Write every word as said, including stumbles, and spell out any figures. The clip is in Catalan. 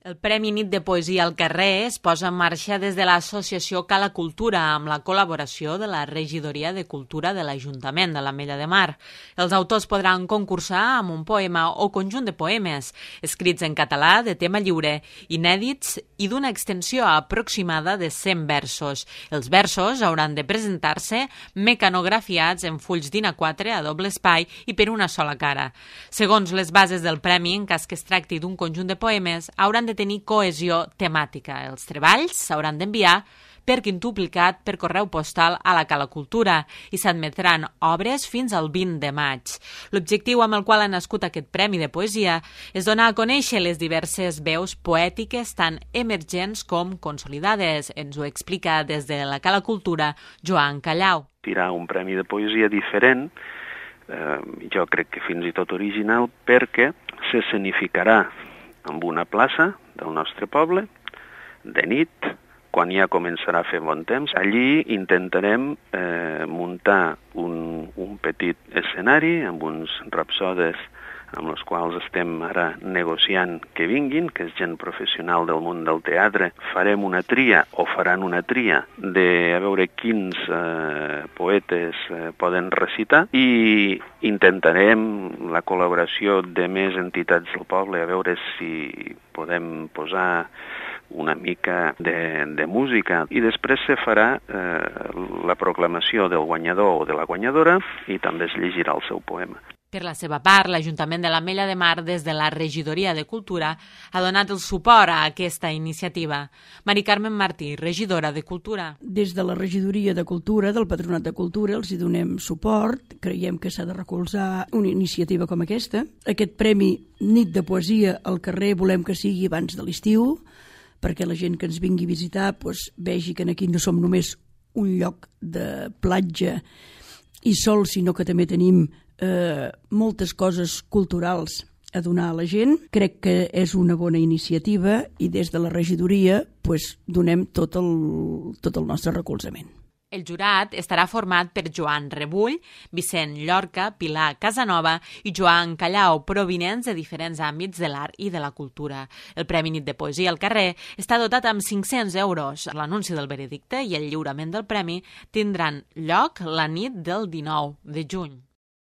El Premi Nit de Poesia al Carrer es posa en marxa des de l'associació Cala Cultura amb la col·laboració de la Regidoria de Cultura de l'Ajuntament de l'Ametlla de Mar. Els autors podran concursar amb un poema o conjunt de poemes, escrits en català de tema lliure, inèdits i d'una extensió aproximada de cent versos. Els versos hauran de presentar-se mecanografiats en fulls d'I N A quatre a doble espai i per una sola cara. Segons les bases del premi, en cas que es tracti d'un conjunt de poemes, hauran de tenir cohesió temàtica. Els treballs s'hauran d'enviar per quintuplicat per correu postal a la Cala Cultura i s'admetran obres fins al vint de maig. L'objectiu amb el qual ha nascut aquest Premi de Poesia és donar a conèixer les diverses veus poètiques tant emergents com consolidades. Ens ho explica des de la Cala Cultura Joan Callau. Tirar un premi de poesia diferent, eh, jo crec que fins i tot original, perquè s'escenificarà en una plaça del nostre poble, de nit, quan ja començarà a fer bon temps. Allí intentarem eh, muntar un, un petit escenari amb uns rapsodes amb els quals estem ara negociant que vinguin, que és gent professional del món del teatre. Farem una tria, o faran una tria, de a veure quins eh, poetes eh, poden recitar, i intentarem la col·laboració de més entitats del poble, a veure si podem posar una mica de, de música, i després se farà eh, la proclamació del guanyador o de la guanyadora i també es llegirà el seu poema. Per la seva part, l'Ajuntament de l'Ametlla de Mar, des de la Regidoria de Cultura, ha donat el suport a aquesta iniciativa. Mari Carmen Martí, regidora de Cultura. Des de la Regidoria de Cultura, del Patronat de Cultura, els hi donem suport. Creiem que s'ha de recolzar una iniciativa com aquesta. Aquest Premi Nit de Poesia al Carrer volem que sigui abans de l'estiu, perquè la gent que ens vingui a visitar doncs, vegi que aquí no som només un lloc de platja i sol, sinó que també tenim eh, moltes coses culturals a donar a la gent. Crec que és una bona iniciativa i des de la regidoria pues, donem tot el, tot el nostre recolzament. El jurat estarà format per Joan Rebull, Vicent Llorca, Pilar Casanova i Joan Callau, provinents de diferents àmbits de l'art i de la cultura. El Premi Nit de Poesia al Carrer està dotat amb cinc-cents euros. L'anunci del veredicte i el lliurament del premi tindran lloc la nit del dinou de juny.